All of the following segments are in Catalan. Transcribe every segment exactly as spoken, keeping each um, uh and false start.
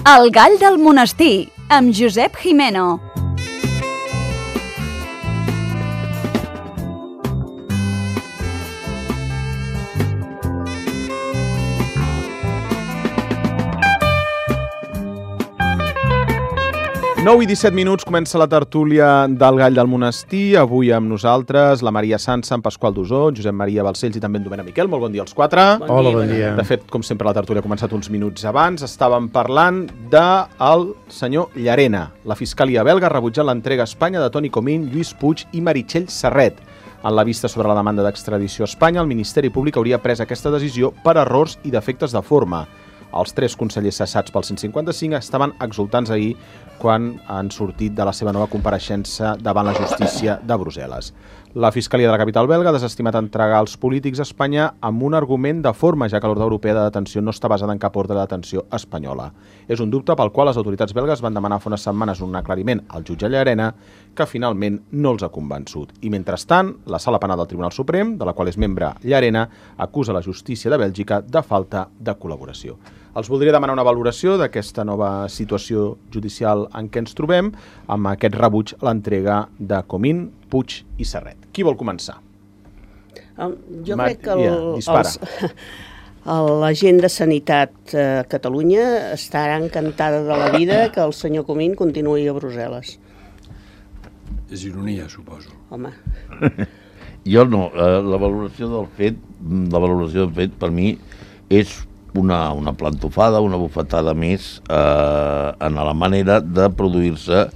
El gall del monestir, amb Josep Jimeno. nou i disset minuts comença la tertúlia del Gall del Monestir. Avui amb nosaltres la Maria Sansa, en Pasqual Dusó, Josep Maria Balcells i també en Domènec Miquel. Molt bon dia als quatre. Bon Hola, dia, bon dia. De fet, com sempre, la tertúlia ha començat uns minuts abans. Estàvem parlant del senyor Llarena. La Fiscalia belga ha rebutjat l'entrega a Espanya de Toni Comín, Lluís Puig i Meritxell Serret. En la vista sobre la demanda d'extradició a Espanya, el Ministeri Públic hauria pres aquesta decisió per errors i defectes de forma. Els tres consellers cessats pel cent cinquanta-cinc estaven exultants ahir quan han sortit de la seva nova compareixença davant la justícia de Brussel·les. La Fiscalia de la capital belga ha desestimat entregar els polítics a Espanya amb un argument de forma, ja que l'ordre europea de detenció no està basada en cap ordre de detenció espanyola. És un dubte pel qual les autoritats belgues van demanar fa unes setmanes un aclariment al jutge Llarena, que finalment no els ha convençut. I mentrestant, la Sala Penal del Tribunal Suprem, de la qual és membre Llarena, acusa la justícia de Bèlgica de falta de col·laboració. Els voldria demanar una valoració d'aquesta nova situació judicial en què ens trobem, amb aquest rebuig a l'entrega de Comín, Puig i Serret. Qui vol començar? Um, jo Mar... crec que el, yeah, els, la gent de Sanitat a Catalunya estarà encantada de la vida que el senyor Comín continuï a Brussel·les. És ironia, suposo. Home. Jo no. La valoració del fet, la valoració del fet per mi és una, una plantofada, una bufetada més eh, en la manera de produir-se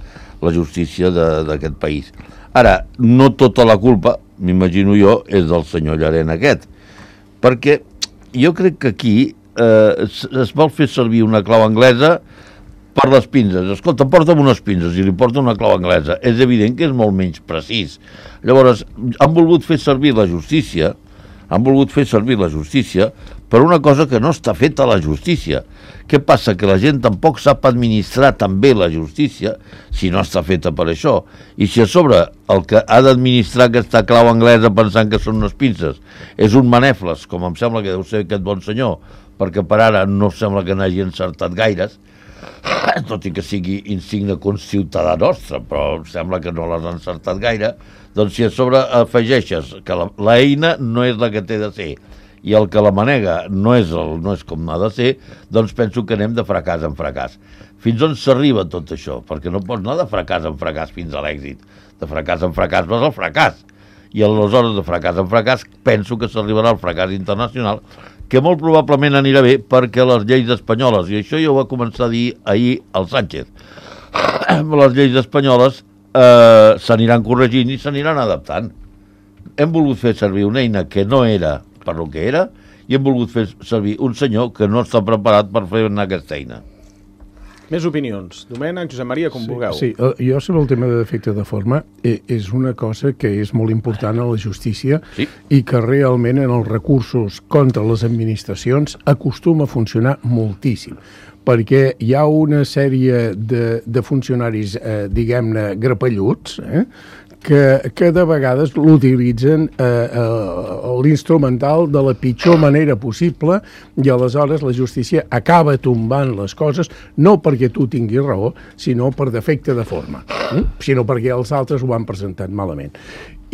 la justícia d'aquest país. Ara, no tota la culpa, m'imagino jo, és del senyor Llarena aquest, perquè jo crec que aquí eh, es, es vol fer servir una clau anglesa per les pinces. Escolta, porta'm unes pinces i li porta una clau anglesa. És evident que és molt menys precís. Llavors, han volgut fer servir la justícia, han volgut fer servir la justícia per una cosa que no està feta a la justícia. Què passa? Que la gent tampoc sap administrar tan bé la justícia si no està feta per això. I si a sobre el que ha d'administrar aquesta clau anglesa pensant que són unes pinces és un manefles, com em sembla que deu ser aquest bon senyor, perquè per ara no sembla que n'hagi encertat gaires, tot i que sigui insigne conciutadà nostre, però em sembla que no l'has encertat gaire, doncs si a sobre afegeixes que l'eina no és la que té de ser i el que la manega no és, el, no és com ha de ser, doncs penso que anem de fracàs en fracàs. Fins on s'arriba tot això? Perquè no pots anar de fracàs en fracàs fins a l'èxit. De fracàs en fracàs vas al fracàs. I aleshores de fracàs en fracàs penso que s'arribarà al fracàs internacional, que molt probablement anirà bé perquè les lleis espanyoles, i això ja ho va començar a dir ahir el Sánchez, les lleis espanyoles eh, s'aniran corregint i s'aniran adaptant. Hem volgut fer servir una eina que no era per lo que era i hem volgut fer servir un senyor que no està preparat per fer anar aquesta eina. Més opinions. Domènec, Josep Maria, com sí, vulgueu. Sí, jo sobre el tema de defecte de forma és una cosa que és molt important a la justícia sí. i que realment en els recursos contra les administracions acostuma a funcionar moltíssim, perquè hi ha una sèrie de, de funcionaris, eh, diguem-ne, grapelluts, eh, que, que de vegades l'utilitzen eh, eh, l'instrumental de la pitjor manera possible i aleshores la justícia acaba tombant les coses no perquè tu tinguis raó, sinó per defecte de forma, eh? sinó perquè els altres ho han presentat malament.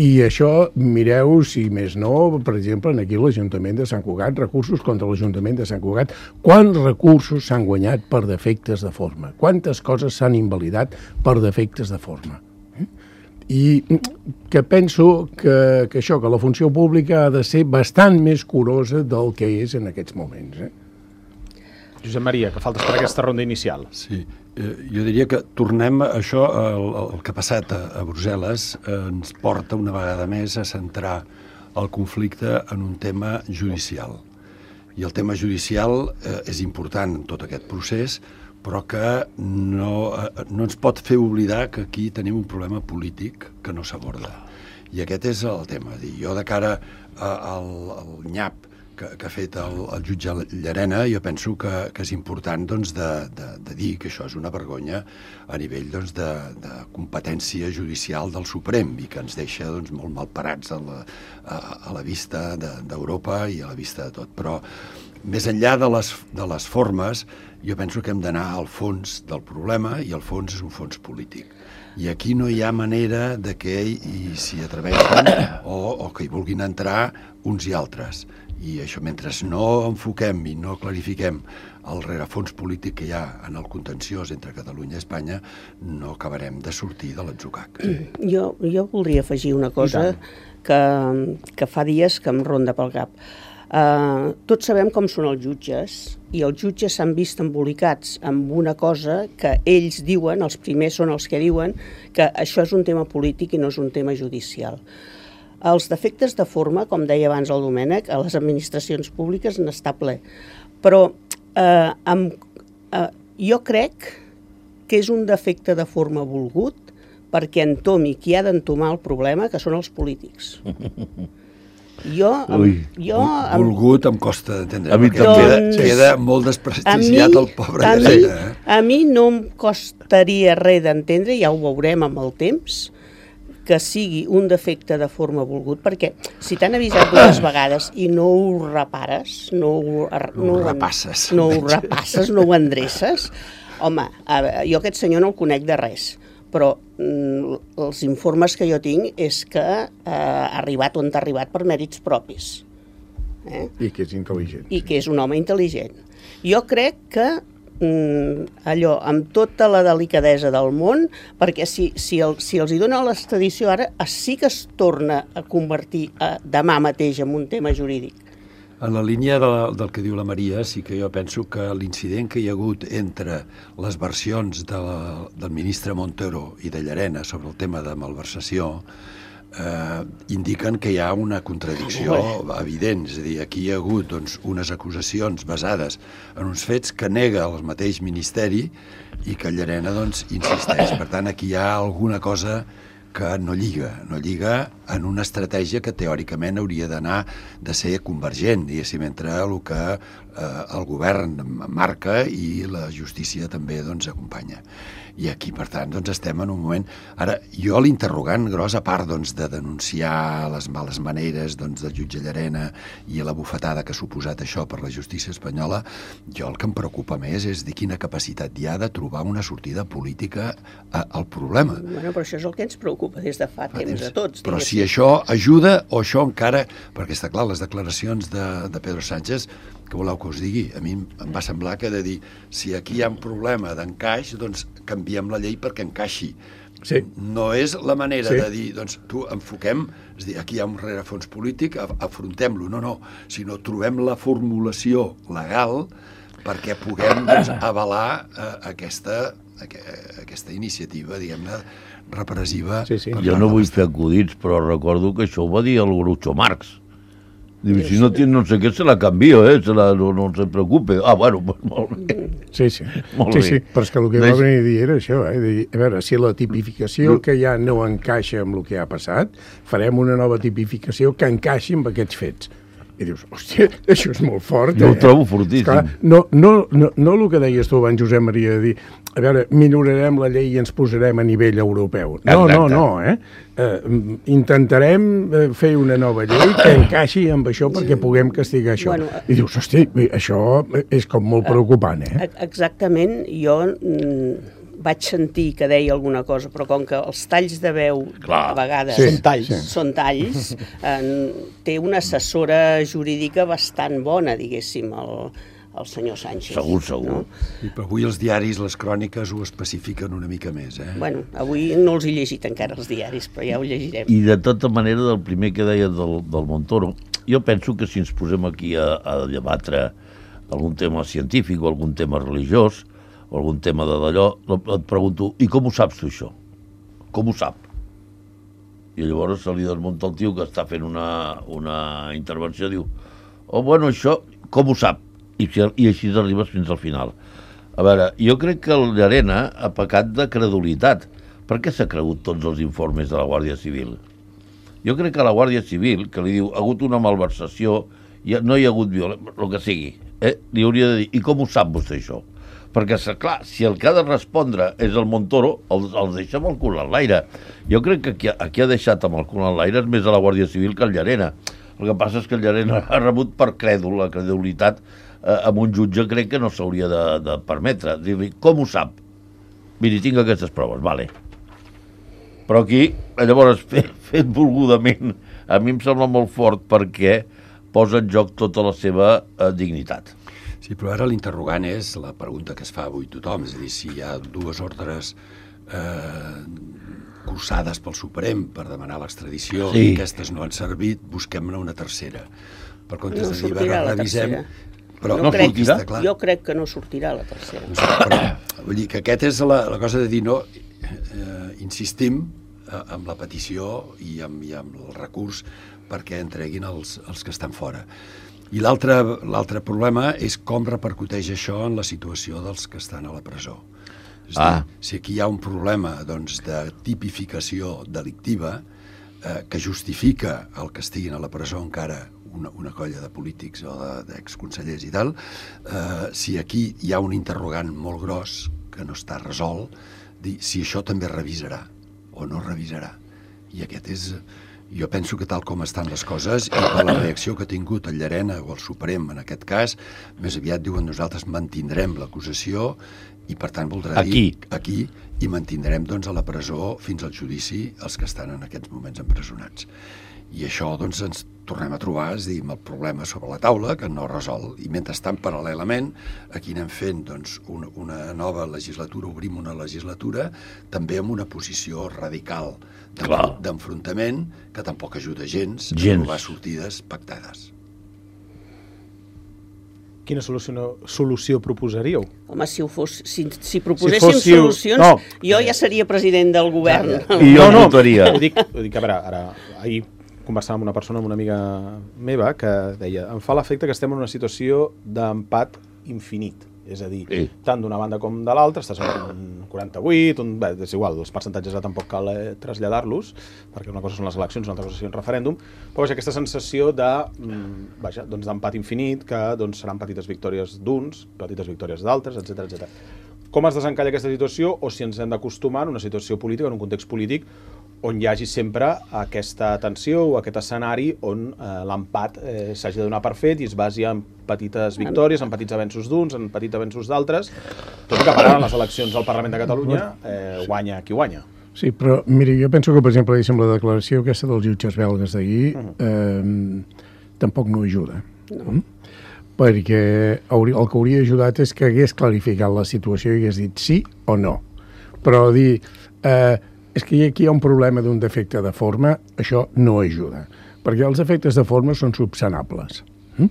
I això, mireu, si més no, per exemple, aquí l'Ajuntament de Sant Cugat, recursos contra l'Ajuntament de Sant Cugat, quants recursos s'han guanyat per defectes de forma? Quantes coses s'han invalidat per defectes de forma? I que penso que, que això, que la funció pública ha de ser bastant més curosa del que és en aquests moments. Eh? Josep Maria, que faltes per aquesta ronda inicial. Sí, eh, jo diria que tornem a això, el, el que ha passat a, a Brussel·les eh, ens porta una vegada més a centrar el conflicte en un tema judicial. I el tema judicial eh, és important en tot aquest procés, però que no, no ens pot fer oblidar que aquí tenim un problema polític que no s'aborda. I aquest és el tema. Jo, de cara al, al nyap que, que ha fet el, el jutge Llarena, jo penso que, que és important doncs, de, de, de dir que això és una vergonya a nivell doncs, de, de competència judicial del Suprem i que ens deixa doncs, molt malparats a la, a, a la vista d'Europa de, i a la vista de tot. Però més enllà de les, de les formes, jo penso que hem d'anar al fons del problema, i el fons és un fons polític. I aquí no hi ha manera de que hi s'hi atreveixen o, o que hi vulguin entrar uns i altres. I això, mentre no enfoquem i no clarifiquem el rerefons polític que hi ha en el contenciós entre Catalunya i Espanya, no acabarem de sortir de l'atzucac. Jo, jo voldria afegir una cosa que, que fa dies que em ronda pel cap. Uh, tots sabem com són els jutges, i els jutges s'han vist embolicats amb una cosa que ells diuen, els primers són els que diuen, que això és un tema polític i no és un tema judicial. Els defectes de forma, com deia abans el Domènec, a les administracions públiques n'està ple. Però eh, amb, eh, jo crec que és un defecte de forma volgut perquè entomi qui ha d'entomar el problema, que són els polítics. Jo, Ui, jo amb... volgut em costa d'entendre, A mi perquè també. queda, Doncs, queda molt desprestigiat mi- el pobre a mi, Llarena. Eh? a mi no em costaria res d'entendre, ja ho veurem amb el temps, que sigui un defecte de forma volgut, perquè si t'han avisat dues vegades i no ho repares, no ho, No ho repasses. no ho repasses, no ho endreces, home, a veure, jo aquest senyor no el conec de res, però mm, els informes que jo tinc és que eh, ha arribat on ha arribat per mèrits propis. Eh? I que és intel·ligent. I que és un home intel·ligent. Jo crec que mm, allò, amb tota la delicadesa del món, perquè si, si, el, si els hi dona l'extradició ara, sí que es torna a convertir a, demà mateix en un tema jurídic. En la línia de, del que diu la Maria, sí que jo penso que l'incident que hi ha hagut entre les versions de la, del ministre Montero i de Llarena sobre el tema de malversació eh, indiquen que hi ha una contradicció evident. És a dir, aquí hi ha hagut doncs, unes acusacions basades en uns fets que nega el mateix ministeri i que Llarena doncs, insisteix. Per tant, aquí hi ha alguna cosa que no lliga, no lliga en una estratègia que teòricament hauria d'anar de ser convergent, diguéssim, entre el que eh, el govern marca i la justícia també doncs, acompanya. I aquí, per tant, doncs, estem en un moment... Ara, jo l'interrogant gros, a part doncs, de denunciar les males maneres doncs, del jutge Llarena i la bufetada que ha suposat això per la justícia espanyola, jo el que em preocupa més és de quina capacitat hi ha de trobar una sortida política a, al problema. Bueno, però això és el que ens preocupa des de fa temps a tots. Però diguéssim. si això ajuda o això encara... Perquè està clar, les declaracions de, de Pedro Sánchez, que voleu que us digui? A mi em va semblar que de dir si aquí hi ha un problema d'encaix, doncs canviem la llei perquè encaixi. Sí. No és la manera Sí. de dir, doncs tu enfoquem, és dir, aquí hi ha un rerefons polític, af- afrontem-lo. No, no, sinó trobem la formulació legal perquè puguem doncs, avalar eh, aquesta, aqu aquesta iniciativa, diguem-ne, repressiva. Sí, sí. per Jo part no de vull l'Estat. fer acudits, però recordo que això ho va dir el Groucho Marx. Diu, si no tiene no sé què, se la canvio, eh? Se la, no, no se preocupe. Ah, bueno, pues molt bé. Sí, sí. Molt sí, bé. sí, però és que el que va Deix- venir a dir era això, eh? Dir, a veure, si la tipificació que hi ha no encaixa amb el que ha passat, farem una nova tipificació que encaixi amb aquests fets. I dius, hòstia, això és molt fort, Jo eh? ho trobo fortíssim. Esclar, no, no, no, no el que deies tu abans, Josep Maria, de dir, a veure, minorarem la llei i ens posarem a nivell europeu. No, Exacte. no, no, eh? eh? Intentarem eh, fer una nova llei que encaixi amb això perquè puguem castigar això. Bueno, I dius, hosti, això és com molt preocupant, eh? E- Exactament, jo mm, vaig sentir que deia alguna cosa, però com que els talls de veu Clar. a vegades Sí, Són talls. sí. són talls, eh, té una assessora jurídica bastant bona, diguéssim, el, el senyor Sánchez. Segur, segur. No? I però avui els diaris, les cròniques, ho especifiquen una mica més, eh? Bueno, avui no els he llegit encara els diaris, però ja ho llegirem. I de tota manera, del primer que deia del, del Montoro, jo penso que si ens posem aquí a, a debatre algun tema científic o algun tema religiós o algun tema de d'allò, et pregunto, i com ho saps tu això? Com ho sap? I llavors se li desmunta el tio que està fent una, una intervenció, diu, oh, bueno, això, com ho sap? I, si- i així arribes fins al final. A veure, jo crec que el Llarena ha pecat de credulitat. Per què s'ha cregut tots els informes de la Guàrdia Civil? Jo crec que la Guàrdia Civil, que li diu ha hagut una malversació, hi ha, no hi ha hagut violència, el que sigui, eh, li hauria de dir, i com ho sap vostè això? Perquè, clar, si el que ha de respondre és el Montoro, els, els deixa amb el cul en l'aire. Jo crec que qui ha, qui ha deixat amb el cul en l'aire és més a la Guàrdia Civil que el Llarena. El que passa és que el Llarena ha rebut per crèdul, la credulitat eh, amb un jutge crec que no s'hauria de, de permetre. Dir-li, com ho sap? Miri, tinc aquestes proves, vale. Però aquí, llavors, fet, fet volgudament, a mi em sembla molt fort perquè posa en joc tota la seva eh, dignitat. Sí, però ara l'interrogant és la pregunta que es fa avui tothom, és a dir, si hi ha dues ordres eh, cursades pel Suprem per demanar l'extradició sí. i aquestes no han servit, busquem-ne una tercera. Per comptes no de dir, va, revisem... Però no no crec, sortirà, clar. Jo crec que no sortirà la tercera. Però, vull dir que aquest és la, la cosa de dir, no, eh, insistim eh, amb la petició i amb, i amb el recurs perquè entreguin els, els que estan fora. I l'altre l'altre problema és com repercuteix això en la situació dels que estan a la presó. És ah. dir, si aquí hi ha un problema doncs, de tipificació delictiva eh, que justifica el que estiguin a la presó encara una, una colla de polítics o d'exconsellers i tal, eh, si aquí hi ha un interrogant molt gros que no està resolt, dir si això també revisarà o no revisarà. I aquest és... Jo penso que tal com estan les coses i per la reacció que ha tingut el Llarena o el Suprem en aquest cas, més aviat diuen nosaltres mantindrem l'acusació i per tant voldrà aquí. dir aquí i mantindrem doncs a la presó fins al judici els que estan en aquests moments empresonats. I això doncs ens tornem a trobar, és a dir, amb el problema sobre la taula que no resol. I mentrestant, paral·lelament, aquí anem fent doncs, una, una nova legislatura, obrim una legislatura també amb una posició radical d'enfrontament que tampoc ajuda gens, gens a trobar sortides pactades. Quina solució, solució proposaríeu? Home, si, ho fos, si, si proposéssim si fóssiu... solucions, no. jo ja seria president del govern. Ja, ja. I jo no, votaria. Ho dic, ho dic, a veure, ara, ahir conversava amb una persona, amb una amiga meva, que deia, em fa l'efecte que estem en una situació d'empat infinit. És a dir, sí. tant d'una banda com de l'altra, estàs en un quaranta-vuit, un, bé, és igual, els percentatges tampoc cal eh, traslladar-los, perquè una cosa són les eleccions, una altra cosa és un referèndum, però vaja, aquesta sensació de, mm, vaja, doncs d'empat infinit, que doncs, seran petites victòries d'uns, petites victòries d'altres, etcètera, etcètera. Com es desencalla aquesta situació, o si ens hem d'acostumar en una situació política, en un context polític, on hi hagi sempre aquesta tensió o aquest escenari on eh, l'empat eh, s'hagi de donar per fet i es basi en petites victòries, en petits avenços d'uns, en petits avenços d'altres, tot i que per ara en les eleccions al Parlament de Catalunya eh, guanya qui guanya. Sí, però miri, jo penso que, per exemple, la declaració aquesta dels jutges belgues d'ahir uh-huh. eh, tampoc no ajuda. No. Mm? Perquè hauria, el que hauria ajudat és que hagués clarificat la situació i hagués dit sí o no. Però dir... Eh, és que aquí hi ha un problema d'un defecte de forma, això no ajuda, perquè els efectes de forma són subsanables. Mm?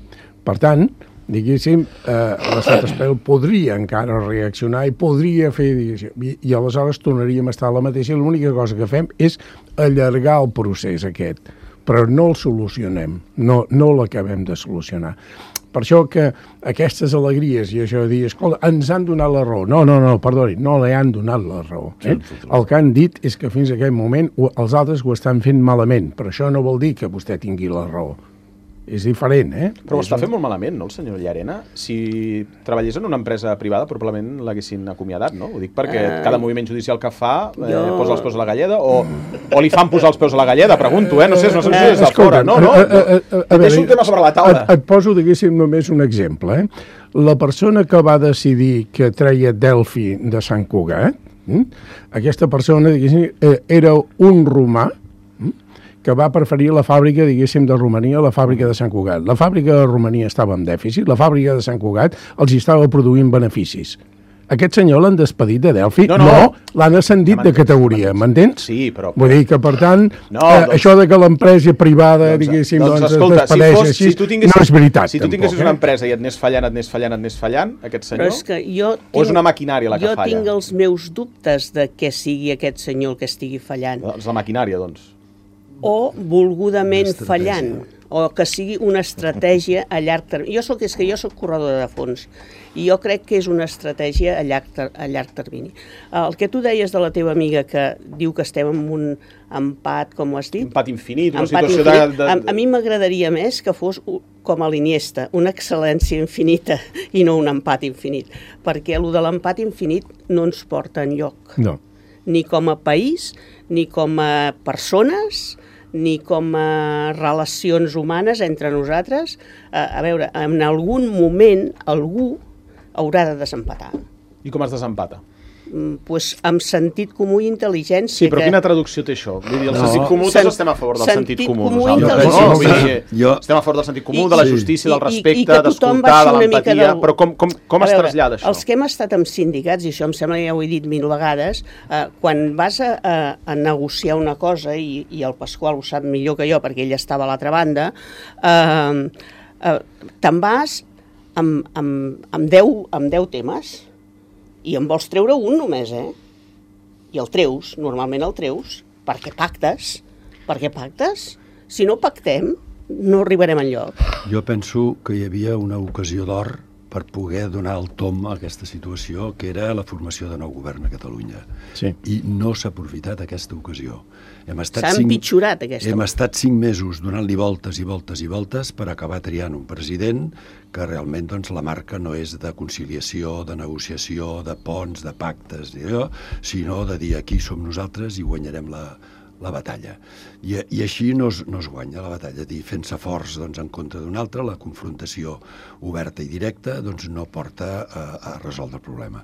Per tant, diguéssim, eh, l'estat espanyol podria encara reaccionar i podria fer, i, i aleshores tornaríem a estar a la mateixa, i l'única cosa que fem és allargar el procés aquest, però no el solucionem, no, no l'acabem de solucionar. Per això que aquestes alegries i això de dir, escolta, ens han donat la raó. No, no, no, perdoni, no li han donat la raó. Eh? El que han dit és que fins a aquest moment els altres ho estan fent malament, però això no vol dir que vostè tingui la raó. És diferent, eh? Però ho està fent molt malament, no, el senyor Llarena? Si treballés en una empresa privada, probablement l'haguessin acomiadat, no? Ho dic perquè uh, cada moviment judicial que fa eh, jo... posa els peus a la galleda o, o li fan posar els peus a la galleda, pregunto, eh? No sé, no sé si és de fora, no? no? Deixo un tema sobre la taula. Et, et poso, diguéssim, només un exemple, eh? La persona que va decidir que treia Delphi de Sant Cugat, eh? aquesta persona, diguéssim, era un romà que va preferir la fàbrica, diguéssim, de Romania a la fàbrica de Sant Cugat. La fàbrica de Romania estava en dèficit, la fàbrica de Sant Cugat els hi estava produint beneficis. Aquest senyor l'han despedit de Delphi? No, no, no l'han ascendit de categoria, m'entens? Sí, però... Vull dir que, per tant, no, eh, doncs... això de que l'empresa privada, doncs, diguéssim, doncs, doncs escolta, es despedeix si fos, així, si tu tinguessis, no és veritat. Si tu tinguessis tampoc, una empresa i et anés fallant, et anés fallant, et anés fallant, aquest senyor, és que jo tinc, o és una maquinària la que jo falla? Jo tinc els meus dubtes de que sigui aquest senyor el que estigui fallant. És la maquinària, doncs. O volgudament fallant, o que sigui una estratègia a llarg termini. Jo soc, és que jo soc corredora de fons, i jo crec que és una estratègia a llarg, a llarg termini. El que tu deies de la teva amiga, que diu que estem en un empat, com ho has dit? Empat infinit, una empat situació infinit. de... de... A, a mi m'agradaria més que fos com a l'Iniesta, una excel·lència infinita i no un empat infinit, perquè el de l'empat infinit no ens porta enlloc. No. Ni com a país, ni com a persones, ni com a relacions humanes entre nosaltres. A, a veure, en algun moment algú haurà de desempatar. I com es desempata? Pues amb sentit comú i intel·ligència. Sí, però que... quina traducció té això? Vull dir, el No. sentit comú, Sen- tots estem a favor del sentit, sentit comú. comú i nosaltres, intel·ligència. no? Vull dir, Jo- estem a favor del sentit comú, I- de la i- justícia, del i- i respecte, que tothom d'escoltar, baixi de una mica l'empatia, del- però com, com, com A es veure, trasllada això? Els que hem estat amb sindicats, i això em sembla que ja ho he dit mil vegades, eh, quan vas a, a, a negociar una cosa, i, i el Pasqual ho sap millor que jo, perquè ell estava a l'altra banda, eh, eh, te'n vas amb, amb, amb, deu, amb deu temes, i en vols treure un només, eh? I el treus, normalment el treus, perquè pactes, perquè pactes. Si no pactem, no arribarem enlloc. Jo penso que hi havia una ocasió d'or per poder donar el tom a aquesta situació, que era la formació de nou govern a Catalunya. Sí. I no s'ha aprofitat aquesta ocasió. Hem estat S'ha cinc- empitjorat aquesta. Hem estat cinc mesos donant-li voltes i voltes i voltes per acabar triant un president que realment doncs, la marca no és de conciliació, de negociació, de ponts, de pactes, allò, sinó de dir aquí som nosaltres i guanyarem la, la batalla. I, i així no es, no es guanya la batalla, dir fent-se forts doncs, en contra d'un altre, la confrontació oberta i directa doncs, no porta a, a resoldre el problema.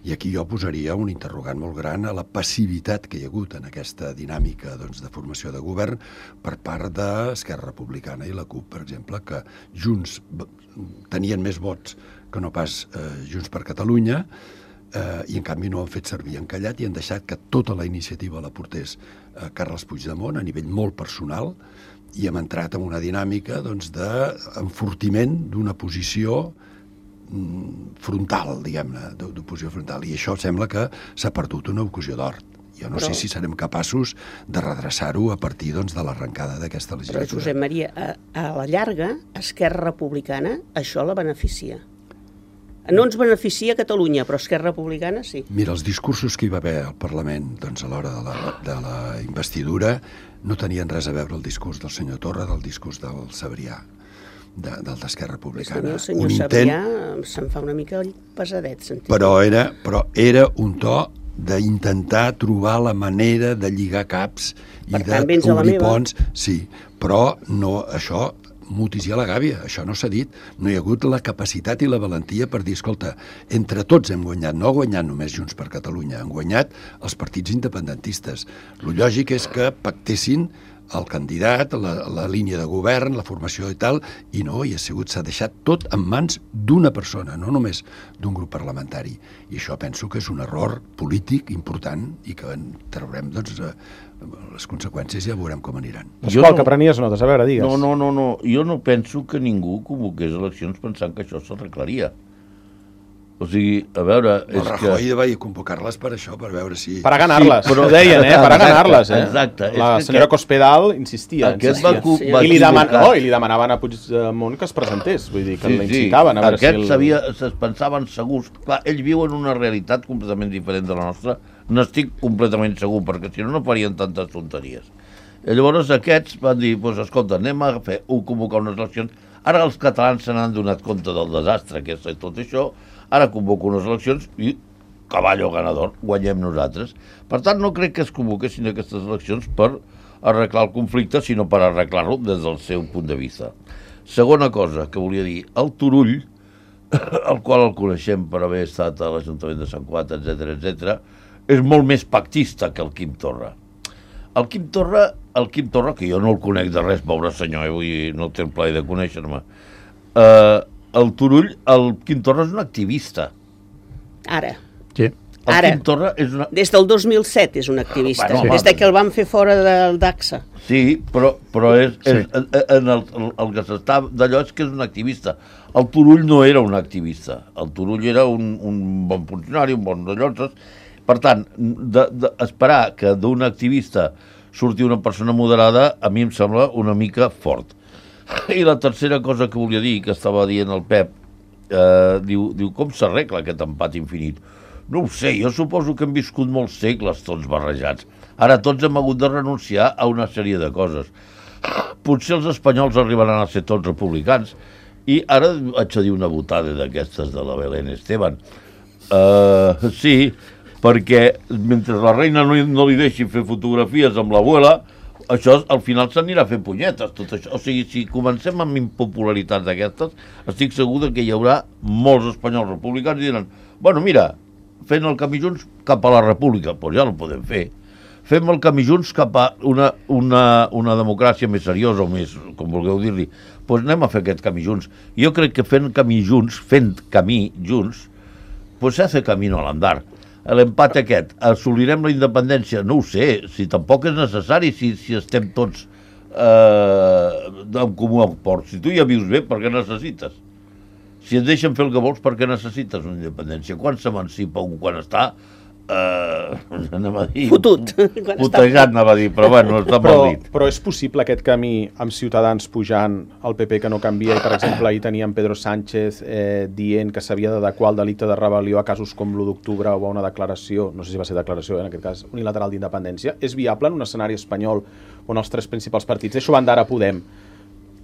I aquí jo posaria un interrogant molt gran a la passivitat que hi ha hagut en aquesta dinàmica doncs, de formació de govern per part d'Esquerra Republicana i la CUP, per exemple, que Junts tenien més vots que no pas eh, Junts per Catalunya, eh, i en canvi no han fet servir encallat i han deixat que tota la iniciativa la portés eh, Carles Puigdemont a nivell molt personal, i hem entrat en una dinàmica doncs, d'enfortiment d'una posició mm, frontal, diguem-ne, d'oposició frontal, i això sembla que s'ha perdut una ocasió d'or. Jo no Però- sé si serem capaços de redreçar-ho a partir doncs, de l'arrencada d'aquesta Però, legislatura. Josep Maria, a, a la llarga, Esquerra Republicana, això la beneficia. No ens beneficia Catalunya, però Esquerra Republicana sí. Mira, els discursos que hi va haver al Parlament doncs, a l'hora de, la, de la investidura no tenien res a veure el discurs del senyor Torra del discurs del Sabrià, de, del d'Esquerra Republicana. El senyor Un Sabrià se'n fa una mica pesadet, sentit. però era, però era un to d'intentar trobar la manera de lligar caps i Per tant, vens a la d'obrir meva. ponts. Sí, però no, això mutis i a la gàbia, això no s'ha dit. No hi ha hagut la capacitat i la valentia per dir, escolta, entre tots hem guanyat, no ha guanyat només Junts per Catalunya, han guanyat els partits independentistes. Lo lògic és que pactessin el candidat, la, la línia de govern, la formació i tal, i no, i ha sigut, s'ha deixat tot en mans d'una persona, no només d'un grup parlamentari. I això penso que és un error polític important i que en traurem, doncs, eh, les conseqüències ja veurem com aniran. Pasqual, no... que prenies notes, a veure, digues. No, no, no, no, jo no penso que ningú convoqués eleccions pensant que això s'arreglaria. O sigui, a veure... El és Rajoy que... va convocar-les per això, per veure si... Para ganarles, Sí, però- ho deien, eh? Para ganarles, eh? Exacte, és La que senyora aquest- Cospedal insistia. Aquest insistia. va, cu- Sí, va I li, deman... equivocar. oh, I li demanaven a Puigdemont que es presentés, vull dir, que Sí, l'incitaven a veure Aquests si... El... sabia, es pensaven segurs. Clar, ells viuen una realitat completament diferent de la nostra. N'estic completament segur, perquè si no, no farien tantes tonteries. I llavors aquests van dir, doncs, escolta, anem a fer, un convocar unes eleccions. Ara els catalans se n'han donat compte del desastre que és tot això. Ara convoco unes eleccions i cavallo ganador, guanyem nosaltres. Per tant, no crec que es convoquessin aquestes eleccions per arreglar el conflicte, sinó per arreglar-lo des del seu punt de vista. Segona cosa que volia dir, el Turull, el qual el coneixem per haver estat a l'Ajuntament de Sant Cugat, etcètera, etcètera, és molt més pactista que el Quim Torra. El Quim Torra, el Quim Torra, que jo no el conec de res, pobre senyor, eh, vull dir, no té el plaer de conèixer-me, eh, el Turull, el Quim Torra és un activista. Ara. Sí. El Ara. Quim Torra és una... Des del dos mil set és un activista, Bueno, des home. de que el van fer fora del d'AXA. Sí, però, però és, Sí. és, en el, el, el que s'està d'allò és que és un activista. El Turull no era un activista. El Turull era un, un bon funcionari, un bon rellotges. Per tant, de, de, esperar que d'un activista surti una persona moderada, a mi em sembla una mica fort. I la tercera cosa que volia dir, que estava dient el Pep, eh, diu, diu, com s'arregla aquest empat infinit? No ho sé, jo suposo que hem viscut molts segles tots barrejats. Ara tots hem hagut de renunciar a una sèrie de coses. Potser els espanyols arribaran a ser tots republicans. I ara haig de dir una botada d'aquestes de la Belén Esteban. Uh, sí, perquè mentre la reina no, no li deixi fer fotografies amb l'abuela, això al final s'anirà a fer punyetes, tot això. O sigui, si comencem amb impopularitats d'aquestes, estic segur que hi haurà molts espanyols republicans i diran, bueno, mira, fent el camí junts cap a la república, doncs ja no podem fer. Fem el camí junts cap a una, una, una democràcia més seriosa o més, com vulgueu dir-li, doncs anem a fer aquest camí junts. Jo crec que fent camí junts, fent camí junts, doncs s'ha de fer camí al andar. L'empat aquest, assolirem la independència? No ho sé, si tampoc és necessari, si, si estem tots eh, en comú acord. Si tu ja vius bé, per què necessites? Si et deixen fer el que vols, per què necessites una independència? Quan s'emancipa un, quan està... Uh, anem a dir... Fotut. Putejat, anava a dir, però bueno, està però, mal dit. però és possible aquest camí amb Ciutadans pujant al P P que no canvia i, per exemple, ahir teníem Pedro Sánchez eh, dient que s'havia d'adequar el delicte de rebel·lió a casos com l'u d'octubre o a una declaració, no sé si va ser declaració, eh, en aquest cas, unilateral d'independència. És viable en un escenari espanyol on els tres principals partits, deixo banda ara Podem,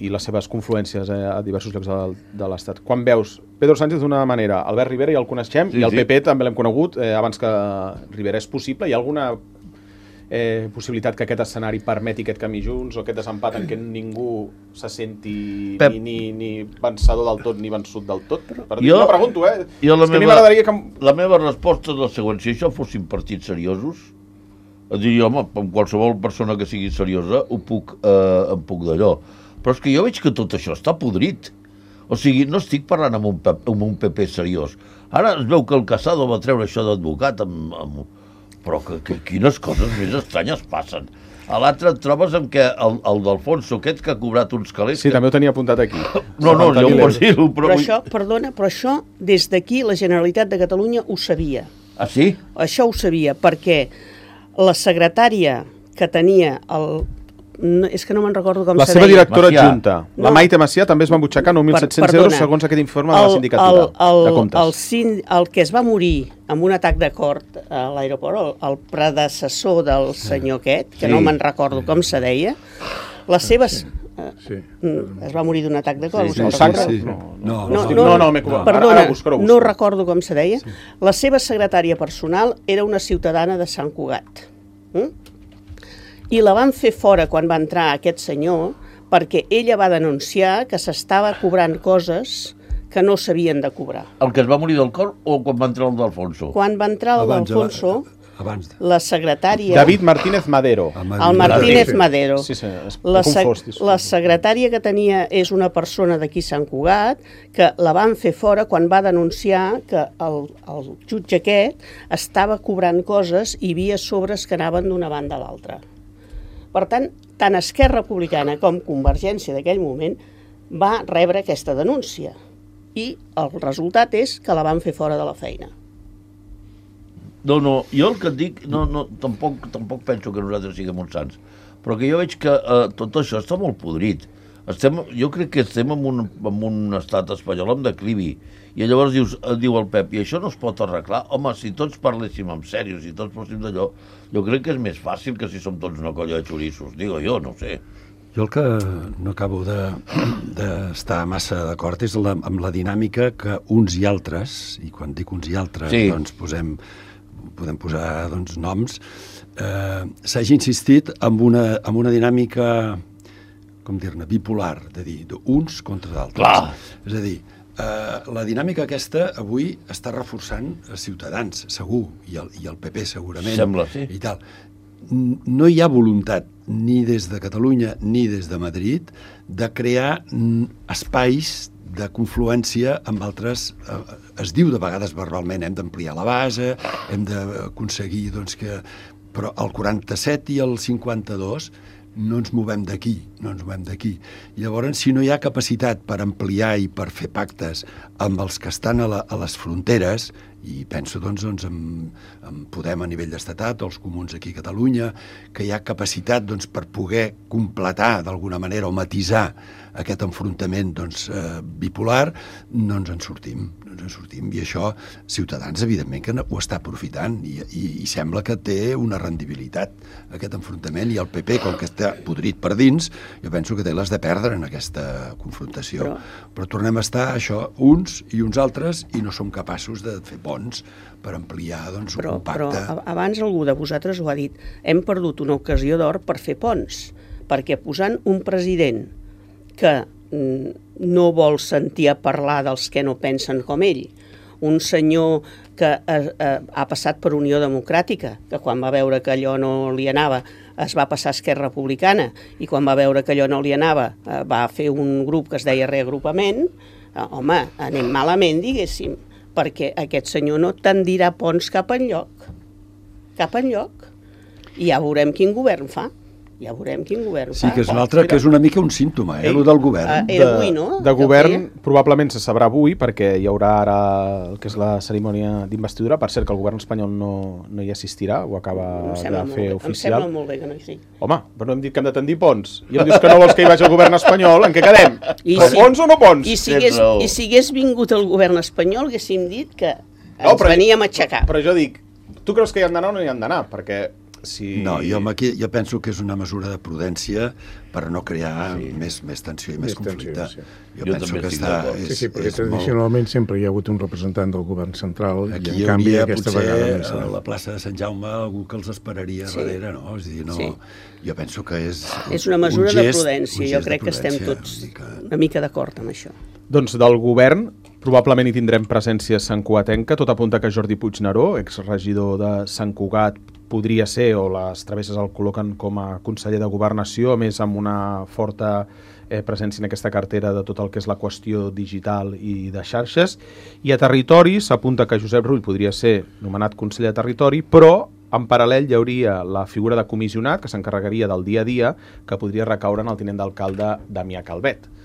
i les seves confluències eh, a diversos llocs de, de l'Estat. Quan veus Pedro Sánchez d'una manera, Albert Rivera ja el coneixem, sí, i el P P sí. també l'hem conegut eh, abans que Rivera. És possible? Hi ha alguna eh, possibilitat que aquest escenari permeti aquest camí junts o aquest desempat en què ningú se senti Pep. ni, ni, ni vencedor del tot ni vençut del tot? Per dir, jo, no pregunto, eh? Jo la, és meva, que que... la meva resposta és la següent. Si això fossin partits seriosos, diria, home, amb qualsevol persona que sigui seriosa ho puc, eh, em puc d'allò. Però és que jo veig que tot això està podrit. O sigui, no estic parlant amb un, amb un P P seriós. Ara es veu que el Casado va treure això d'advocat, amb, amb... però que, que quines coses més estranyes passen. A l'altre et trobes amb que el, el d'Alfonso aquest que ha cobrat uns calés... Sí, que... també ho tenia apuntat aquí. No, no, jo ho pots dir-ho, però... Però això, perdona, però això, des d'aquí, la Generalitat de Catalunya ho sabia. Ah, sí? Això ho sabia, perquè la secretària que tenia el... No, és que no me'n recordo com la se seva deia. directora Macià. adjunta, no. La Maite Macià, també es va embutxacar nou mil set-cents euros segons aquest informe de la sindicatura el, el, de comptes. El, el, el que es va morir amb un atac de cor a l'aeroport, el, el predecessor del senyor aquest, que sí. no me'n recordo com se deia, les seves... Sí. Es va morir d'un atac de cor. Sí, sí, sí, sí. No, no, no, no, no, no, no perdona, ara, busco, no recordo com se deia. Sí. La seva secretària personal era una ciutadana de Sant Cugat. Mm? I la van fer fora quan va entrar aquest senyor perquè ella va denunciar que s'estava cobrant coses que no s'havien de cobrar. El que es va morir del cor o quan va entrar el d'Alfonso? Quan va entrar el d'Alfonso, abans de... la secretària... David Martínez Madero. El Martínez Madero. Sí, sí, la, sec... la secretària que tenia és una persona d'aquí Sant Cugat que la van fer fora quan va denunciar que el, el jutge aquest estava cobrant coses i hi havia sobres que anaven d'una banda a l'altra. Per tant, tant Esquerra Republicana com Convergència d'aquell moment va rebre aquesta denúncia i el resultat és que la van fer fora de la feina. No, no, jo el que et dic, no, no, tampoc, tampoc penso que nosaltres siguem uns sants, però que jo veig que eh, tot això està molt podrit. Estem, jo crec que estem en un, en un estat espanyol amb declivi. I llavors dius, diu el Pep, i això no es pot arreglar? Home, si tots parléssim en sèrio, si tots fóssim d'allò, jo crec que és més fàcil que si som tots una colla de xorissos. Digo jo, no sé. Jo el que no acabo d'estar de, massa d'acord és la, amb la dinàmica que uns i altres, i quan dic uns i altres, sí. doncs posem, podem posar doncs, noms, eh, s'hagi insistit en una, en una dinàmica, com dir-ne, bipolar, de dir, d'uns contra d'altres. Clar. És a dir, Uh, la dinàmica aquesta avui està reforçant els Ciutadans, segur, i el, i el P P segurament. Sembla, sí. I tal. No hi ha voluntat, ni des de Catalunya ni des de Madrid, de crear espais de confluència amb altres... Uh, es diu de vegades verbalment, hem d'ampliar la base, hem d'aconseguir doncs, que... Però el quaranta-set i el cinquanta-dos no ens movem d'aquí, no ens movem d'aquí. I llavors, si no hi ha capacitat per ampliar i per fer pactes amb els que estan a, la, a les fronteres, i penso doncs, doncs en, en Podem a nivell d'estatat, els comuns aquí a Catalunya, que hi ha capacitat doncs, per poder completar d'alguna manera o matisar aquest enfrontament doncs, eh, bipolar, no ens en sortim. No ens ens en sortim. I això, Ciutadans, evidentment, que ho està aprofitant i, i, i sembla que té una rendibilitat aquest enfrontament, i el P P, com que està podrit per dins, jo penso que té les de perdre en aquesta confrontació. Però, però tornem a estar, això, uns i uns altres, i no som capaços de fer ponts per ampliar, doncs, però, un pacte. Però abans algú de vosaltres ho ha dit, hem perdut una ocasió d'or per fer ponts, perquè posant un president que no vol sentir a parlar dels que no pensen com ell, un senyor que eh, eh, ha passat per Unió Democràtica, que quan va veure que allò no li anava es va passar a Esquerra Republicana, i quan va veure que allò no li anava eh, va fer un grup que es deia Reagrupament, eh, home, anem malament, diguéssim, perquè aquest senyor no tendirà ponts cap enlloc, cap enlloc, i ja veurem quin govern fa. Ja veurem quin govern Sí, fa. que és un altre, que és una mica un símptoma, eh, el del govern. Uh, era avui, no? De govern, probablement se sabrà avui, perquè hi haurà ara el que és la cerimònia d'investidura. Per cert, que el govern espanyol no, no hi assistirà, ho acaba de fer oficial. Em sembla molt bé que no hi sigui. Home, però no hem dit que hem de tendir ponts. I em dius que no vols que hi vagi el govern espanyol, en què quedem? I o si, ponts o no ponts? I si, hagués, I si hagués vingut el govern espanyol, haguéssim dit que ens no, però, veníem a aixecar. Però jo dic, tu creus que hi han d'anar o no hi han d'anar? Perquè... Si... No, jo, aquí, jo penso que és una mesura de prudència per no crear sí. més, més tensió i més, més conflicte. Tensió, sí. Jo, jo penso que està... És, sí, sí, perquè tradicionalment molt... sempre hi ha hagut un representant del govern central aquí i en canvi aquesta potser, vegada... Aquí a la plaça de Sant Jaume algú que els esperaria sí. darrere, no? És dir, no... Sí. Jo penso que és... És una mesura un gest, de prudència, jo crec que estem tots una mica, una mica d'acord amb això. Doncs del govern probablement hi tindrem presència santcugatenca. Tot apunta que Jordi Puigneró, exregidor de Sant Cugat, podria ser, o les travesses el col·loquen com a conseller de Governació, a més amb una forta eh, presència en aquesta cartera de tot el que és la qüestió digital i de xarxes. I a Territori s'apunta que Josep Rull podria ser nomenat conseller de Territori, però en paral·lel hi hauria la figura de comissionat que s'encarregaria del dia a dia, que podria recaure en el tinent d'alcalde Damià Calvet.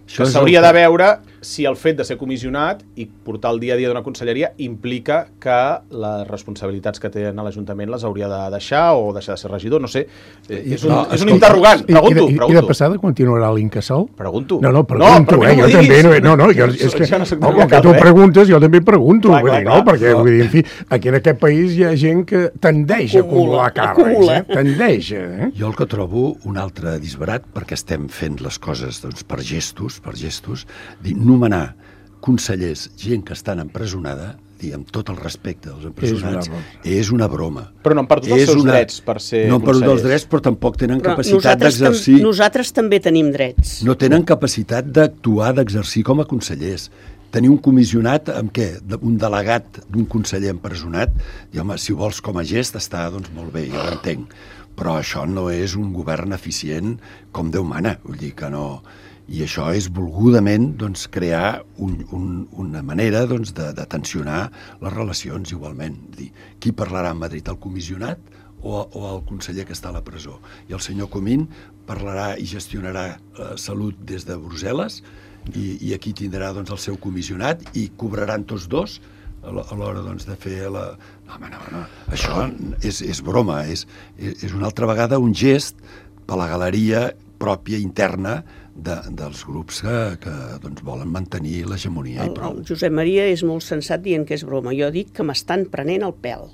Això que s'hauria de veure si el fet de ser comissionat i portar el dia a dia d'una conselleria implica que les responsabilitats que té en l'Ajuntament les hauria de deixar o deixar de ser regidor, no sé. És un, no, és un interrogant, pregunto. I, i, pregunto. I de passada continuarà l'Incasòl? Pregunto. No, no, pregunto, no, eh, jo també. No, no, no, jo, és que, no, com que tu preguntes, jo també pregunto, clar, vull dir, clar, no, perquè, no. Vull dir, en fi, aquí en aquest país hi ha gent que tendeix a acumular càrrecs, eh? Tendeix, eh? Jo el que trobo un altre disbarat, perquè estem fent les coses doncs, per gestos, per gestos, dir, nomenar consellers, gent que estan empresonada, dir, amb tot el respecte dels empresonats, és una, és una broma. Però no han perdut els seus una... drets per ser no consellers. No han perdut els drets, però tampoc tenen però capacitat d'exercir... Tam nosaltres també tenim drets. No tenen capacitat d'actuar, d'exercir com a consellers. Tenir un comissionat amb què? Un delegat d'un conseller empresonat, i home, si vols com a gest està doncs molt bé, jo l'entenc. Però això no és un govern eficient com Déu mana, vull dir que no... I això és volgudament doncs, crear un, un, una manera doncs, de, de tensionar les relacions igualment. Dir, qui parlarà a Madrid, el comissionat o, o el conseller que està a la presó? I el senyor Comín parlarà i gestionarà la salut des de Brussel·les i, i aquí tindrà doncs, el seu comissionat i cobraran tots dos a l'hora doncs, de fer la... No, home, no, no. Això és, és broma, és, és una altra vegada un gest per la galeria pròpia interna de, dels grups que, que doncs, volen mantenir l'hegemonia i prou. El Josep Maria és molt sensat dient que és broma. Jo dic que m'estan prenent el pèl.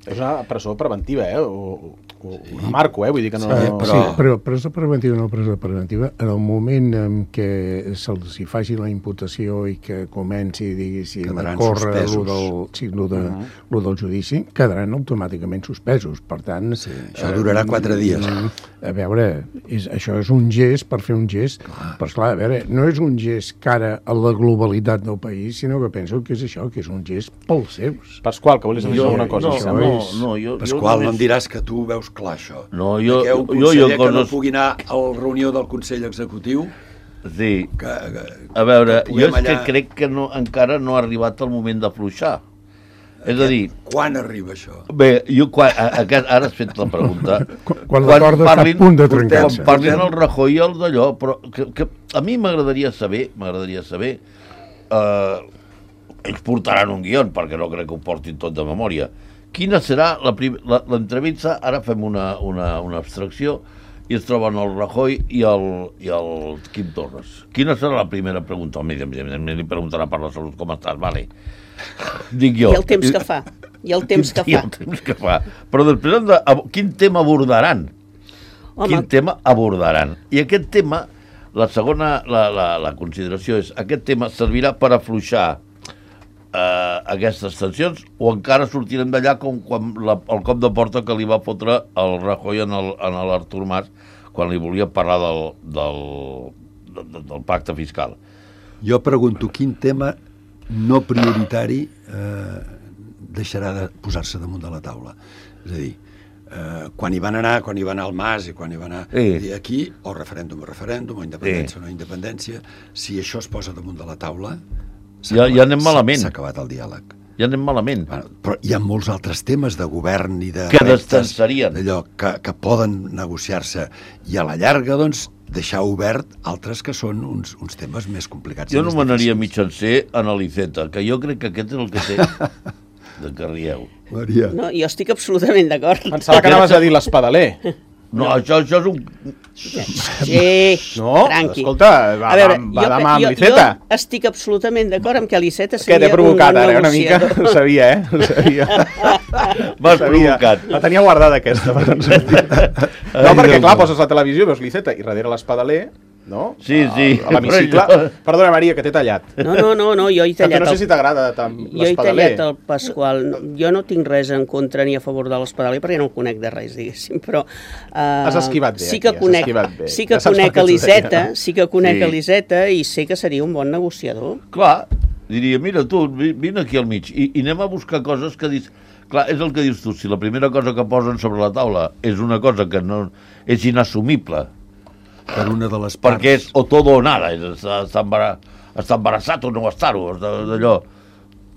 És una presó preventiva, eh? O, o sí. Una marco, eh? Vull dir que no... Sí, però... Sí, però presó preventiva no presó preventiva. En el moment en què se'ls hi faci la imputació i que comenci, diguéssim, a córrer lo del, sí, lo, de, uh -huh. lo del judici, quedaran automàticament suspesos. Per tant... Sí, això durarà quatre dies. A veure, és, això és un gest per fer un gest. Clar. Però, esclar, a veure, no és un gest cara a la globalitat del país, sinó que penso que és això, que és un gest pels seus. Pasqual, que volies dir alguna cosa? No, això, no, no, jo, Pasqual, jo no em diràs que tu veus clar això. No, jo... Que un conseller jo, jo, que no pugui anar a la reunió del Consell Executiu... Sí. Que, que, a veure, jo és allà... que crec que no, encara no ha arribat el moment d'afluixar. És a dir... Quan arriba això? Bé, jo quan, a, a, ara has fet la pregunta. Quan, quan la corda està a punt de trencar-se. Quan parlin el Rajoy i el d'allò, però que, que a mi m'agradaria saber, m'agradaria saber... Eh, ells portaran un guió, perquè no crec que ho portin tot de memòria. Quina serà l'entrevista? Ara fem una, una, una abstracció i es troben el Rajoy i el, i el Quim Torres. Quina serà la primera pregunta? El evidentment li preguntarà per la salut, com estàs, vale. Dic jo. I el temps que fa. I el temps que fa. I el temps que fa. Però després, hem de, quin tema abordaran? Home. Quin tema abordaran? I aquest tema, la segona, la, la, la consideració és, aquest tema servirà per afluixar eh, aquestes tensions o encara sortirem d'allà com quan la, el cop de porta que li va fotre el Rajoy en l'Artur Mas quan li volia parlar del, del, del, del pacte fiscal. Jo pregunto, quin tema no prioritari eh, deixarà de posar-se damunt de la taula? És a dir, eh, quan hi van anar, quan hi va anar el Mas i quan hi va anar sí. aquí, o referèndum o referèndum, o independència sí. o no independència, si això es posa damunt de la taula, ja, ja anem malament. S'ha acabat el diàleg. Ja anem malament. Bueno, però hi ha molts altres temes de govern i de que destensarien d'allò que, que poden negociar-se i a la llarga, doncs, deixar obert altres que són uns, uns temes més complicats. Jo no m'anaria mitjancer en l'Iceta, que jo crec que aquest és el que té de que rieu. Maria. No, jo estic absolutament d'acord. Pensava que anaves a dir l'espadaler. No, no, això, això és un... Sí, no, tranqui. Escolta, va, a veure, va jo, demà amb jo, l'Iceta. Jo estic absolutament d'acord amb que l'Iceta Què seria t'he provocat un bon ara, una mica? negociador. Ho sabia, eh? Ho sabia. M'has provocat. La tenia guardada aquesta. Per no, perquè clar, poses la televisió, veus l'Iceta i darrere l'espadaler, no? Sí, sí. A l'hemicicle. Perdona, Maria, que t'he tallat. No, no, no, no, jo he tallat... No sé si t'agrada tant l'espadaler. Jo he tallat el Pasqual. Jo no tinc res en contra ni a favor de l'espadaler perquè no el conec de res, diguéssim, però... Uh, has esquivat bé, sí que aquí, conec, has esquivat bé. Sí que ja conec l'Iceta, sí que conec sí. l'Iceta i sé que seria un bon negociador. Clar, diria, mira tu, vine aquí al mig i, i anem a buscar coses que dius... Clar, és el que dius tu, si la primera cosa que posen sobre la taula és una cosa que no és inassumible, per una de les parts. perquè és o todo o nada, és estar, estar embarassat o no estar-ho, d'allò.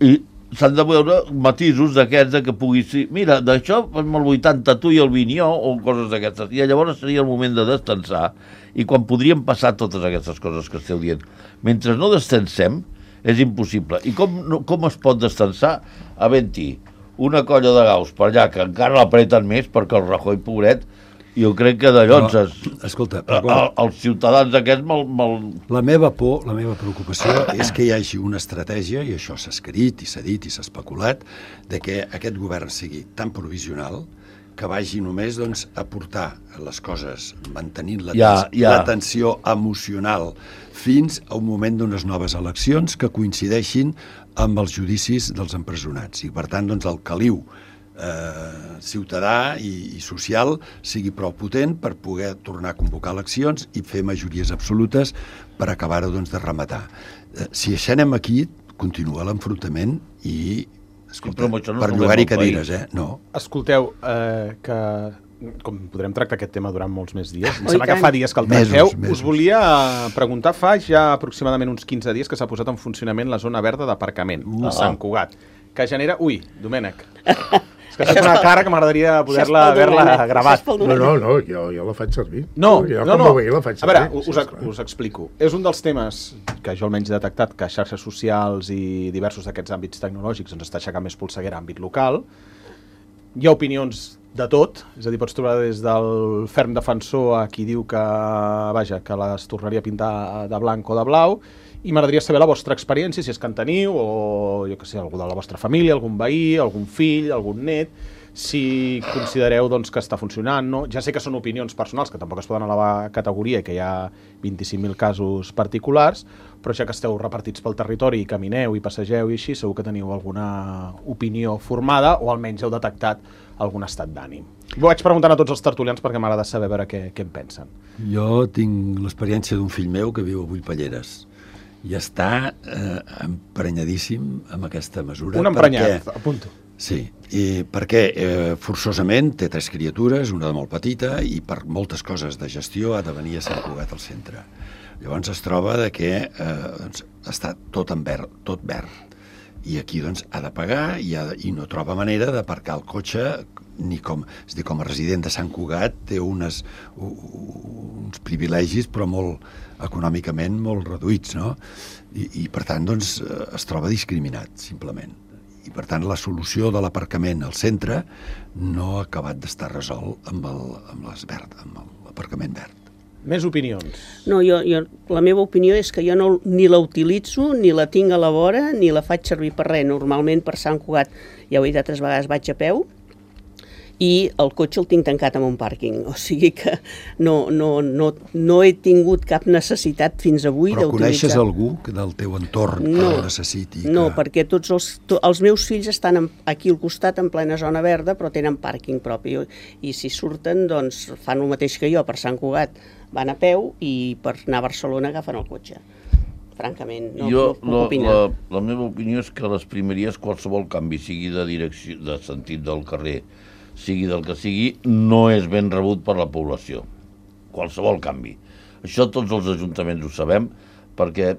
I s'han de veure matisos d'aquests que pugui ser, mira, d'això amb el vuitanta tu i el vint jo, o coses d'aquestes. I llavors seria el moment de destensar, i quan podríem passar totes aquestes coses que esteu dient. Mentre no destensem, és impossible. I com, no, com es pot destensar? Havent-hi una colla de gaus per allà que encara l'apreten més perquè el Rajoy, pobret, jo crec que d'allò ens... Escolta, però clar, el, els ciutadans aquests mal, mal... La meva por, la meva preocupació és que hi hagi una estratègia, i això s'ha escrit i s'ha dit i s'ha especulat, de que aquest govern sigui tan provisional que vagi només doncs, a portar les coses mantenint la, ja, ja. la tensió emocional fins a un moment d'unes noves eleccions que coincideixin amb els judicis dels empresonats. I per tant, doncs, el caliu Eh, ciutadà i, i social sigui prou potent per poder tornar a convocar eleccions i fer majories absolutes per acabar-ho doncs, de rematar. Eh, si això anem aquí, continua l'enfrontament i, escolta, sí, no per llogar-hi cadires, eh? No. Escolteu, eh, que com podrem tractar aquest tema durant molts més dies, em oh, sembla que fa dies que el tracteu, mesos, mesos. Us volia preguntar, fa ja aproximadament uns quinze dies que s'ha posat en funcionament la zona verda d'aparcament uh. a Sant Cugat, que genera... Ui, Domènec. És que això és una cara que m'agradaria poder-la haver-la gravat. No, no, no, jo, jo la faig servir. No, jo, no, com no. Veig, la faig a veure, servir. us, sí, us explico. És un dels temes que jo almenys he detectat que xarxes socials i diversos d'aquests àmbits tecnològics ens està aixecant més polseguera a àmbit local. Hi ha opinions de tot, és a dir, pots trobar des del ferm defensor a qui diu que, vaja, que les tornaria a pintar de blanc o de blau, i m'agradaria saber la vostra experiència, si és que en teniu, o jo què sé, algú de la vostra família, algun veí, algun fill, algun net, si considereu doncs, que està funcionant, no? Ja sé que són opinions personals, que tampoc es poden elevar a categoria i que hi ha vint-i-cinc mil casos particulars, però ja que esteu repartits pel territori i camineu i passegeu i així, segur que teniu alguna opinió formada o almenys heu detectat algun estat d'ànim. Ho vaig preguntant a tots els tertulians perquè m'agrada saber veure què, què en pensen. Jo tinc l'experiència d'un fill meu que viu a Vullpelleres i està eh, emprenyadíssim amb aquesta mesura. Un emprenyat, perquè, apunto. Sí, i perquè eh, forçosament té tres criatures, una de molt petita, i per moltes coses de gestió ha de venir a Sant Cugat al centre. Llavors es troba de que eh, doncs, està tot en verd, tot verd. I aquí doncs, ha de pagar i, ha de, i no troba manera d'aparcar el cotxe ni com, és a dir, com a resident de Sant Cugat té unes, uns privilegis però molt econòmicament molt reduïts, no? I, i per tant doncs, es troba discriminat simplement. I per tant la solució de l'aparcament al centre no ha acabat d'estar resolt amb, el, amb les verd, amb, el, aparcament verd. Més opinions. No, jo, jo, la meva opinió és que jo no, ni la utilitzo, ni la tinc a la vora, ni la faig servir per res. Normalment per Sant Cugat, ja ho he dit altres vegades, vaig a peu, i el cotxe el tinc tancat en un pàrquing. O sigui que no, no, no, no he tingut cap necessitat fins avui Però d'utilitzar. coneixes algú del teu entorn no, que ho necessiti? No, que... perquè tots els, to, els meus fills estan en, aquí al costat, en plena zona verda, però tenen pàrquing propi. I si surten, doncs fan el mateix que jo, per Sant Cugat van a peu i per anar a Barcelona agafen el cotxe. Francament, no, jo, no puc la, opinar. La, la meva opinió és que a les primeries qualsevol canvi, sigui de direcció, de sentit del carrer, sigui del que sigui, no és ben rebut per la població. Qualsevol canvi. Això tots els ajuntaments ho sabem, perquè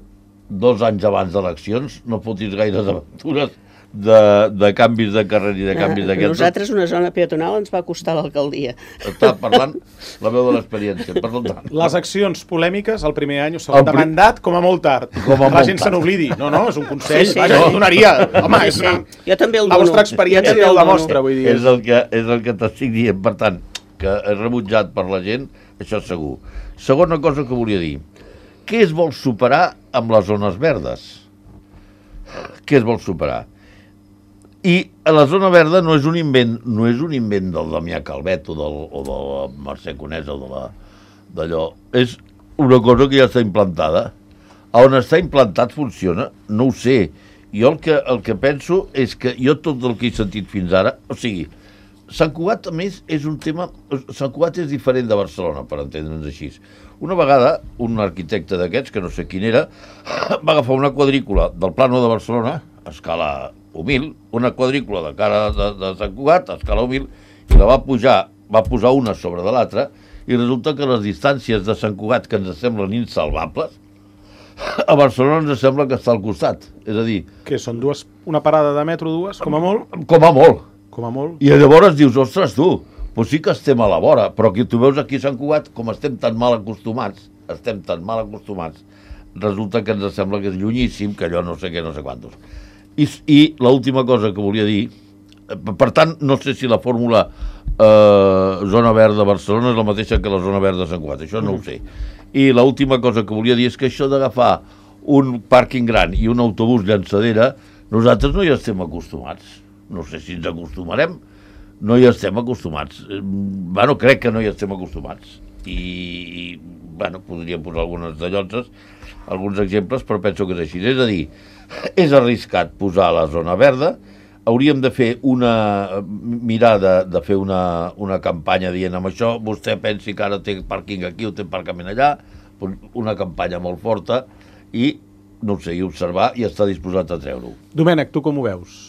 dos anys abans d'eleccions no fotis gaires aventures de, de canvis de carrer i de canvis d'aquests. Nosaltres una zona peatonal ens va costar l'alcaldia. Està parlant la veu de l'experiència. Per tant, Les accions polèmiques el primer any o segon El de pri- mandat, com a molt tard. Com a la molt gent tard. se n'oblidi. No, no, és un consell. Sí, sí, Vaja, sí. jo donaria. Home, Sí, és sí. una... Jo també el La dono. vostra experiència Jo també ja ho el dono. demostra, vull dir. és el que, és el que t'estic dient. Per tant, que és rebutjat per la gent, això és segur. Segona cosa que volia dir. Què es vol superar amb les zones verdes? Què es vol superar? I a la zona verda no és un invent, no és un invent del Damià Calvet o, del, o de la Mercè Conesa o de la, d'allò. És una cosa que ja està implantada. A on està implantat funciona? No ho sé. Jo el que, el que penso és que jo tot el que he sentit fins ara, o sigui, Sant Cugat, a més, és un tema... Sant Cugat és diferent de Barcelona, per entendre'ns així. Una vegada, un arquitecte d'aquests, que no sé quin era, va agafar una quadrícula del plano de Barcelona, a escala humil, una quadrícula de cara de, de Sant Cugat, a escala humil, i la va pujar, va posar una sobre de l'altra, i resulta que les distàncies de Sant Cugat, que ens semblen insalvables, a Barcelona ens sembla que està al costat. És a dir, Que són dues, una parada de metro, dues, com a molt. com a molt. Com a molt. I llavors dius, ostres, tu, doncs sí que estem a la vora, però que tu veus aquí a Sant Cugat, com estem tan mal acostumats, estem tan mal acostumats, resulta que ens sembla que és llunyíssim, que allò no sé què, no sé quantos. I, i l'última cosa que volia dir, per tant, no sé si la fórmula eh, zona verda de Barcelona és la mateixa que la zona verda de Sant Cugat, això no ho sé. I l'última cosa que volia dir és que això d'agafar un pàrquing gran i un autobús llançadera, nosaltres no hi estem acostumats. No sé si ens acostumarem, no hi estem acostumats. Bueno, crec que no hi estem acostumats. I, i bueno, podríem posar algunes de llotges, alguns exemples, però penso que és així. És a dir, és arriscat posar la zona verda, hauríem de fer una... mirar de, de fer una, una campanya dient amb això, vostè pensi que ara té pàrquing aquí o té aparcament allà, una campanya molt forta i, no ho sé, i observar i estar disposat a treure-ho. Domènec, tu com ho veus?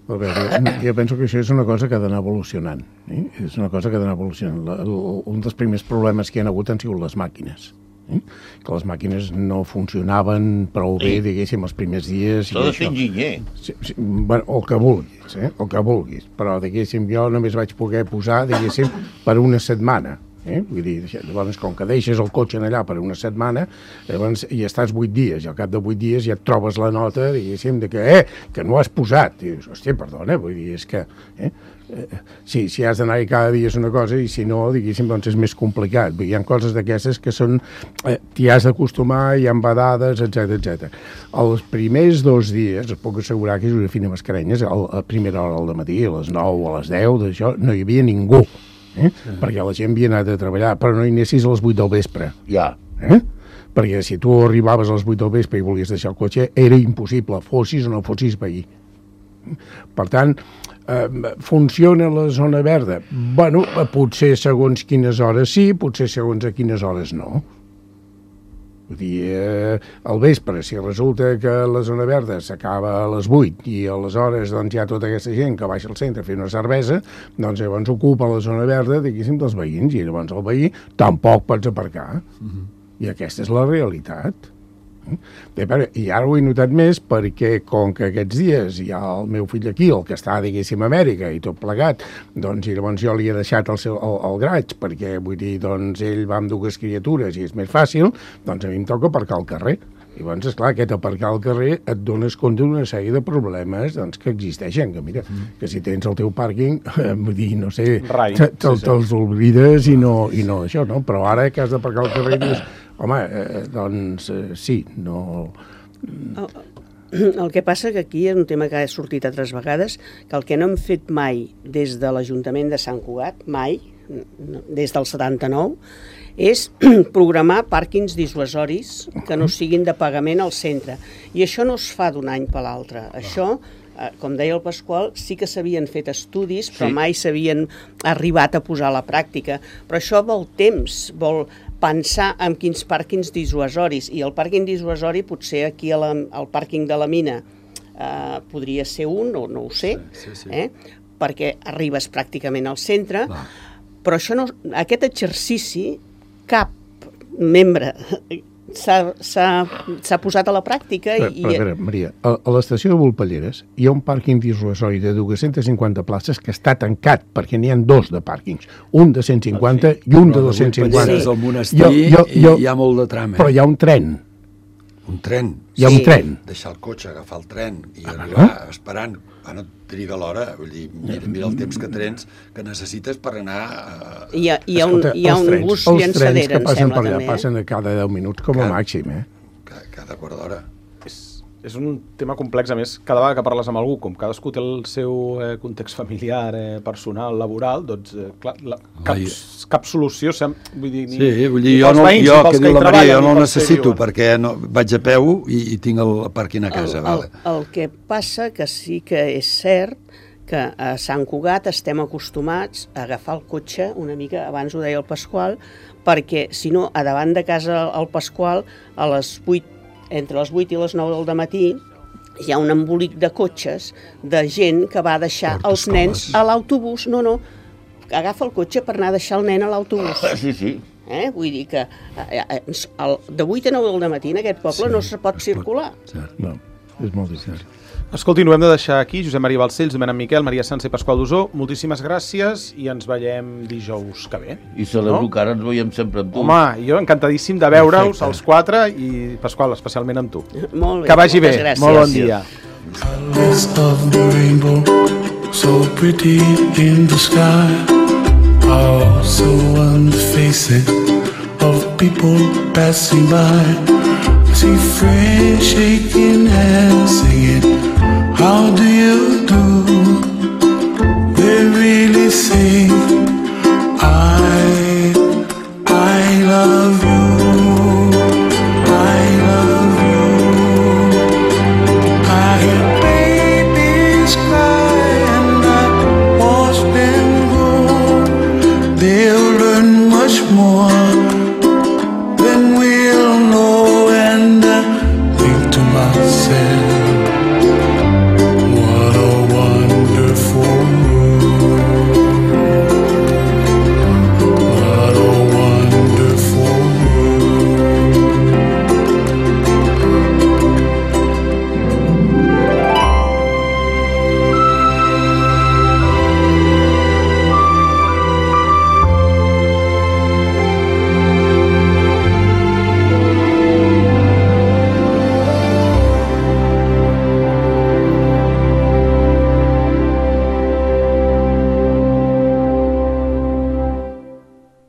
A veure, jo penso que això és una cosa que ha d'anar evolucionant. Eh? És una cosa que ha d'anar evolucionant. La, el, un dels primers problemes que hi ha hagut han sigut les màquines. Eh? Que les màquines no funcionaven prou bé, Sí. diguéssim, els primers dies. S'ha i de ser això. enginyer. Sí, sí, bueno, el que vulguis, eh? el que vulguis. Però, diguéssim, jo només vaig poder posar, diguéssim, per una setmana. Eh? Vull dir, llavors, com que deixes el cotxe allà per una setmana, llavors hi estàs vuit dies, i al cap de vuit dies ja et trobes la nota, diguéssim, de que, eh, que no has posat. I dius, hòstia, perdona, vull dir, és que... Eh? Eh, sí, si has d'anar-hi cada dia és una cosa, i si no, diguéssim, doncs és més complicat. Vull dir, hi ha coses d'aquestes que són... Eh, t'hi has d'acostumar, hi ha vedades, etcètera, etcètera. Els primers dos dies, et puc assegurar que Josefina Mascarenyes, a la primera hora del matí, a les nou o a les deu, d'això, no hi havia ningú. Eh? Sí. Perquè la gent havia anat a treballar, però no hi anessis a les vuit del vespre. Ja. Eh? Perquè si tu arribaves a les vuit del vespre i volies deixar el cotxe, era impossible, fossis o no fossis veí. Per tant, eh, funciona la zona verda? Bueno, potser segons quines hores sí, potser segons a quines hores no. Vull dir, eh, al vespre, si resulta que la zona verda s'acaba a les vuit i aleshores doncs, hi ha tota aquesta gent que baixa al centre a fer una cervesa, doncs llavors ocupa la zona verda, diguéssim, dels veïns, i llavors el veí tampoc pots aparcar. Mm-hmm. I aquesta és la realitat. I ara ho he notat més perquè, com que aquests dies hi ha el meu fill aquí, el que està, diguéssim, a Amèrica i tot plegat, doncs i llavors jo li he deixat el, seu, el, el graig perquè, vull dir, doncs ell va amb dues criatures i és més fàcil, doncs a mi em toca aparcar al carrer. Llavors, esclar, aquest aparcar al carrer et dones compte d'una sèrie de problemes doncs, que existeixen, que mira, mm. que si tens el teu pàrquing, eh, vull dir, no sé, Rai, te, te, sí, sí. te'ls oblides i no, i no això, no? Però ara que has d'aparcar al carrer dius, home, eh, doncs eh, sí, no... El que passa que aquí és un tema que ha sortit altres vegades, que el que no hem fet mai des de l'Ajuntament de Sant Cugat, mai, des del setanta-nou, és programar pàrquings dissuasoris que no siguin de pagament al centre. I això no es fa d'un any per l'altre. Això, com deia el Pasqual, sí que s'havien fet estudis, però Sí. mai s'havien arribat a posar a la pràctica. Però això vol temps, vol pensar en quins pàrquings dissuasoris, i el pàrquing dissuasori potser aquí a la, al pàrquing de la mina eh, podria ser un, o no ho sé, Sí, sí, sí. Eh? perquè arribes pràcticament al centre, Clar. però això no, aquest exercici cap membre s'ha posat a la pràctica. Però, i, però, a veure, Maria, a, a l'estació de Volpelleres hi ha un pàrquing dissuasori de dues-centes cinquanta places que està tancat, perquè n'hi ha dos de pàrquings, un de cent cinquanta Ah, sí? i un de Però dos-cents Vuit cinquanta. Palleres al monestir Jo- jo- jo- i hi ha molt de tram, eh? Però hi ha un tren, Un tren. hi ha Sí. un tren. Deixar el cotxe, agafar el tren i Ah, arribar esperant. Bueno, triga l'hora, vull dir, mira, mira el temps que trens que necessites per anar... A... hi ha, hi ha un, Escolta, hi ha els un trens- bus els trens llançadera, que em passen sembla, per allà també. passen a cada deu minuts com a Cada- màxim, eh? Cada, cada quart d'hora. És, és un tema complex, a més, cada vegada que parles amb algú, com cadascú té el seu eh, context familiar, eh, personal, laboral, doncs, eh, clar, la, cap, Ai. cap solució, sem, vull dir, ni, Sí, vull dir, ni jo, pels no, veïns, jo ni pels que diu hi la Maria, treballen, jo ni no el pels que necessito, viuen. perquè no, vaig a peu i, i tinc el pàrquing a casa, el, vale. el, el que passa que sí que és cert que a Sant Cugat estem acostumats a agafar el cotxe una mica, abans ho deia el Pasqual, perquè si no, a davant de casa el Pasqual, a les vuit, entre les vuit i les nou del matí, hi ha un embolic de cotxes de gent que va deixar Porta els nens escoles. a l'autobús. No, no, agafa el cotxe per anar a deixar el nen a l'autobús. Sí, sí. Eh? Vull dir que eh, eh, el, de vuit a nou del matí en aquest poble Sí, no se pot es circular. Cert. No, és molt difícil. Escolti, ho hem de deixar aquí. Josep Maria Balcells, Domènec Miquel, Maria Sança i Pasqual Dosó, moltíssimes gràcies i ens veiem dijous que ve. I celebro No? que ara ens veiem sempre amb tu. Home, jo encantadíssim de veure-us Perfecte. els quatre i, Pasqual, especialment amb tu. Molt bé, Que vagi bé. moltes gràcies. Molt bon dia. Colors of the rainbow, so pretty in the sky, also on the faces of people passing by. I see friends shaking hands, singing, how do you